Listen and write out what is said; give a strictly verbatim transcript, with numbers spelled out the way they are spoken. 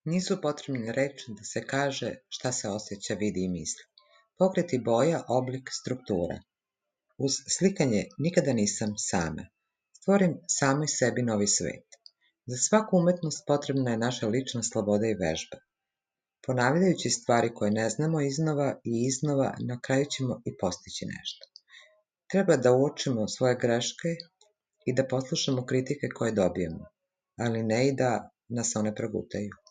Nisu potrebne reči da se kaže šta se osjeća, vidi i misli. Pokreti boja, oblik, struktura. Uz slikanje nikada nisam sama. Stvorim samoj sebi novi svet. Za svaku umetnost potrebna je naša lična sloboda i vežba. Ponavljajući stvari koje ne znamo iznova i iznova, na kraju ćemo i postići nešto. Treba da uočimo svoje greške i da poslušamo kritike koje dobijemo, ali ne i da nas one progutaju.